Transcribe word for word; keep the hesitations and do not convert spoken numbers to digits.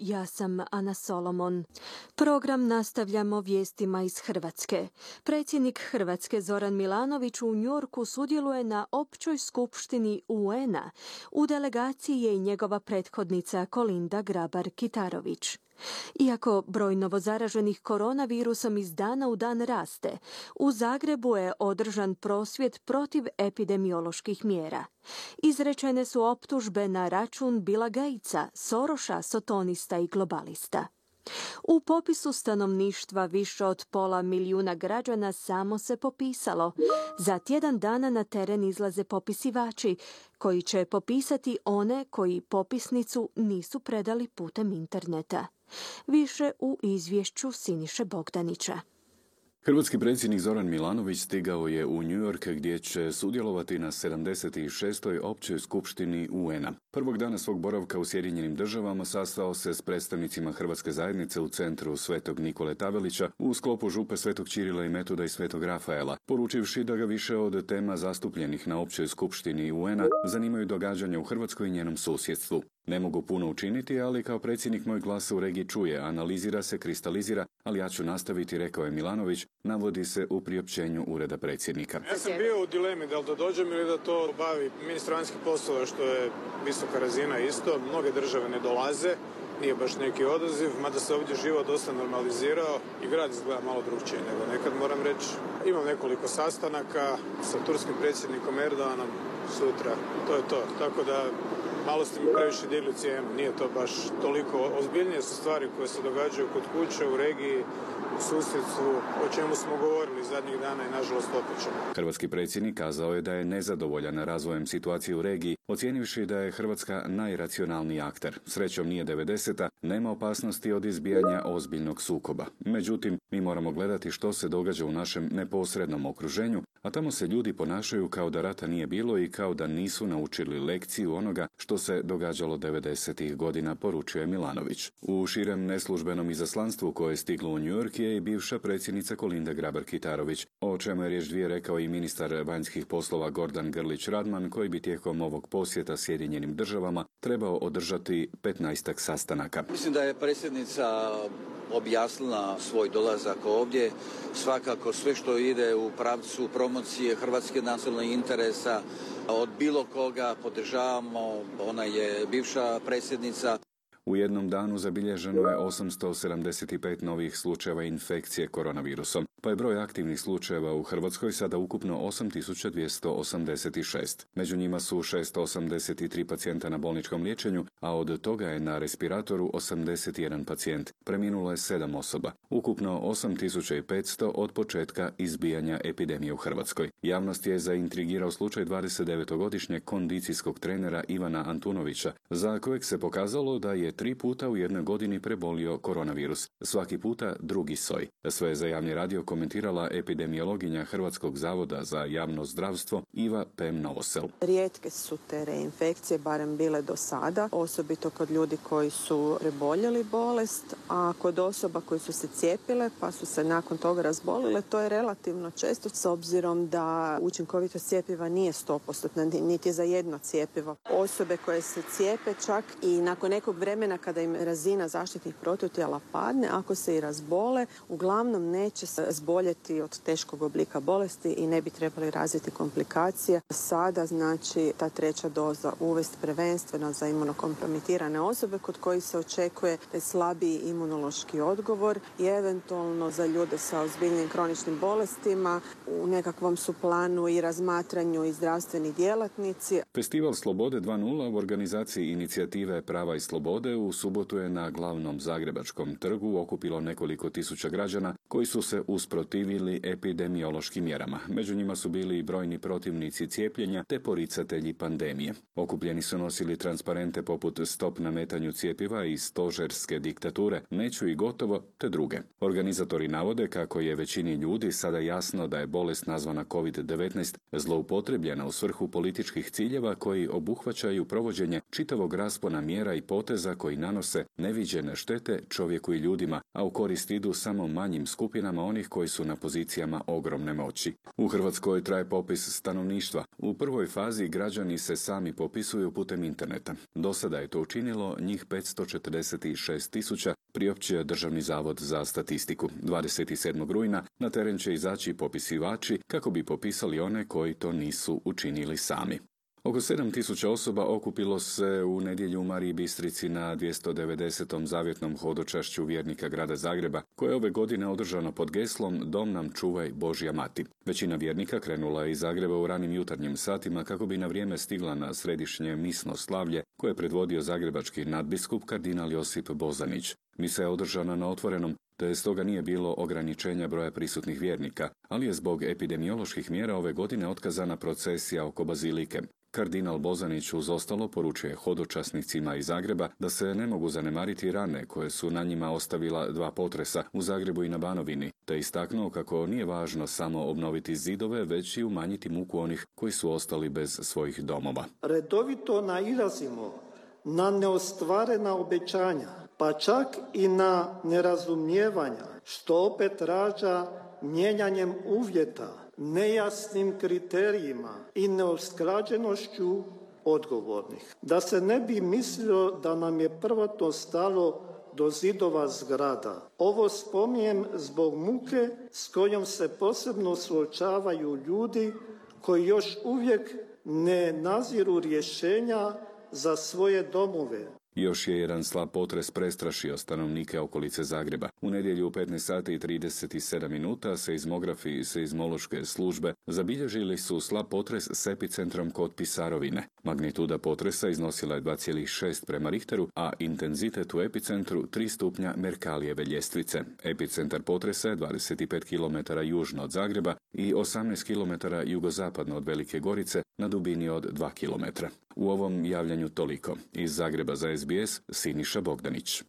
Ja sam Ana Solomon. Program nastavljamo vijestima iz Hrvatske. Predsjednik Hrvatske Zoran Milanović u Njujorku sudjeluje na općoj skupštini U N-a. U delegaciji je i njegova prethodnica Kolinda Grabar-Kitarović. Iako broj novozaraženih koronavirusom iz dana u dan raste, u Zagrebu je održan prosvjed protiv epidemioloških mjera. Izrečene su optužbe na račun Billa Gatesa, Sorosa, sotonista i globalista. U popisu stanovništva više od pola milijuna građana samo se popisalo. Za tjedan dana na teren izlaze popisivači, koji će popisati one koji popisnicu nisu predali putem interneta. Više u izvješću Siniše Bogdanića. Hrvatski predsjednik Zoran Milanović stigao je u New York gdje će sudjelovati na sedamdeset šestoj općoj skupštini U N-a. Prvog dana svog boravka u Sjedinjenim državama sastao se s predstavnicima Hrvatske zajednice u centru Svetog Nikole Tavelića u sklopu župe Svetog Čirila i Metoda i Svetog Rafaela, poručivši da ga više od tema zastupljenih na općoj skupštini U N-a zanimaju događanja u Hrvatskoj i njenom susjedstvu. Ne mogu puno učiniti, ali kao predsjednik moj glas u regiji čuje, analizira se, kristalizira, ali ja ću nastaviti, rekao je Milanović, navodi se u priopćenju ureda predsjednika. Ja sam bio u dilemi da li da dođem ili da to bavi ministar vanjskih poslova, što je visoka razina isto. Mnoge države ne dolaze, nije baš neki odaziv, mada se ovdje život dosta normalizirao i grad izgleda malo drugčije nego nekad, moram reći. Imam nekoliko sastanaka sa turskim predsjednikom Erdoganom sutra, to je to, tako da malo ste mi previše digli cijenu, nije to baš toliko. Ozbiljnije su stvari koje se događaju kod kuće, u regiji, u susjedstvu, o čemu smo govorili zadnjih dana i nažalost opet ćemo. Hrvatski predsjednik kazao je da je nezadovoljan razvojem situacije u regiji, ocijenivši da je Hrvatska najracionalniji akter. Srećom nije devedeseta, nema opasnosti od izbijanja ozbiljnog sukoba. Međutim, mi moramo gledati što se događa u našem neposrednom okruženju, a tamo se ljudi ponašaju kao da rata nije bilo i kao da nisu naučili lekciju onoga što se događalo devedesetih godina, poručuje Milanović. U širem neslužbenom izaslanstvu koje je stiglo u New York je i bivša predsjednica Kolinda Grabar-Kitarović, o čemu je riječ dvije rekao i ministar vanjskih poslova Gordan Grlić Radman, koji bi tijekom ovog posjeta Sjedinjenim državama trebao održati petnaestak sastanaka. Mislim da je predsjednica objasnila svoj dolazak ovdje. Svakako sve što ide u pravcu promocije hrvatske nacionalnih interesa od bilo koga podržavamo. Ona je bivša predsjednica. U jednom danu zabilježeno je osamsto sedamdeset pet novih slučajeva infekcije koronavirusom, pa je broj aktivnih slučajeva u Hrvatskoj sada ukupno osam tisuća dvjesto osamdeset šest. Među njima su šesto osamdeset tri pacijenta na bolničkom liječenju, a od toga je na respiratoru osamdeset jedan pacijent. Preminulo je sedam osoba. Ukupno osam tisuća petsto od početka izbijanja epidemije u Hrvatskoj. Javnost je zaintrigirao slučaj dvadesetdevetogodišnjeg kondicijskog trenera Ivana Antunovića, za kojeg se pokazalo da je tri puta u jednoj godini prebolio koronavirus. Svaki puta drugi soj. Sve za javni radio komentirala epidemiologinja Hrvatskog zavoda za javno zdravstvo Iva Pem Novosel. Rijetke su te reinfekcije, barem bile do sada, osobito kod ljudi koji su preboljeli bolest, a kod osoba koji su se cijepile pa su se nakon toga razbolile, to je relativno često s obzirom da učinkovitost cjepiva nije sto posto, niti za jedno cjepivo. Osobe koje se cijepe čak i nakon nekog vremena kada im razina zaštitnih protutijela padne, ako se i razbole, uglavnom neće se zboljeti od teškog oblika bolesti i ne bi trebali razviti komplikacije. Sada znači ta treća doza uvesti prvenstveno za imunokompromitirane osobe kod kojih se očekuje da je slabiji imunološki odgovor i eventualno za ljude sa ozbiljnim kroničnim bolestima. U nekakvom su planu i razmatranju i zdravstveni djelatnici. Festival Slobode dva nula u organizaciji inicijative Prava i slobode u subotu je na glavnom zagrebačkom trgu okupilo nekoliko tisuća građana koji su se usprotivili epidemiološkim mjerama. Među njima su bili i brojni protivnici cijepljenja te poricatelji pandemije. Okupljeni su nosili transparente poput stop nametanju cjepiva i stožerske diktature, neću i gotovo, te druge. Organizatori navode kako je većini ljudi sada jasno da je bolest nazvana kovid devetnaest zloupotrebljena u svrhu političkih ciljeva koji obuhvaćaju provođenje čitavog raspona mjera i poteza koji nanose neviđene štete čovjeku i ljudima, a u korist idu samo manjim skupinama onih koji koji su na pozicijama ogromne moći. U Hrvatskoj traje popis stanovništva. U prvoj fazi građani se sami popisuju putem interneta. Do sada je to učinilo njih petsto četrdeset šest tisuća, priopćio Državni zavod za statistiku. dvadeset sedmog rujna na teren će izaći popisivači kako bi popisali one koji to nisu učinili sami. Oko sedam tisuća osoba okupilo se u nedjelju u Mariji Bistrici na dvjesto devedesetom zavjetnom hodočašću vjernika grada Zagreba, koje je ove godine održano pod geslom Dom nam čuvaj Božja mati. Većina vjernika krenula je iz Zagreba u ranim jutarnjim satima kako bi na vrijeme stigla na središnje misno slavlje koje je predvodio zagrebački nadbiskup kardinal Josip Bozanić. Misa je održana na otvorenom, te stoga nije bilo ograničenja broja prisutnih vjernika, ali je zbog epidemioloških mjera ove godine otkazana procesija oko bazilike. Kardinal Bozanić uz ostalo poručuje hodočasnicima iz Zagreba da se ne mogu zanemariti rane koje su na njima ostavila dva potresa u Zagrebu i na Banovini, te istaknuo kako nije važno samo obnoviti zidove, već i umanjiti muku onih koji su ostali bez svojih domova. Redovito nailazimo na neostvarena obećanja, pa čak i na nerazumijevanja, što opet rađa mijenjanjem uvjeta, nejasnim kriterijima i neusklađenošću odgovornih. Da se ne bi mislilo da nam je prvotno stalo do zidova zgrada. Ovo spominjem zbog muke s kojom se posebno suočavaju ljudi koji još uvijek ne naziru rješenja za svoje domove. Još je jedan slab potres prestrašio stanovnike okolice Zagreba. U nedjelju u petnaest sati i trideset sedam minuta seizmografi i seizmološke službe zabilježili su slab potres s epicentrom kod Pisarovine. Magnituda potresa iznosila je dva zarez šest prema Richteru, a intenzitet u epicentru tri stupnja Merkalijeve ljestvice. Epicentar potresa je dvadeset pet kilometara južno od Zagreba i osamnaest kilometara jugozapadno od Velike Gorice na dubini od dva kilometra. U ovom javljanju toliko. Iz Zagreba za S B S Siniša Bogdanić.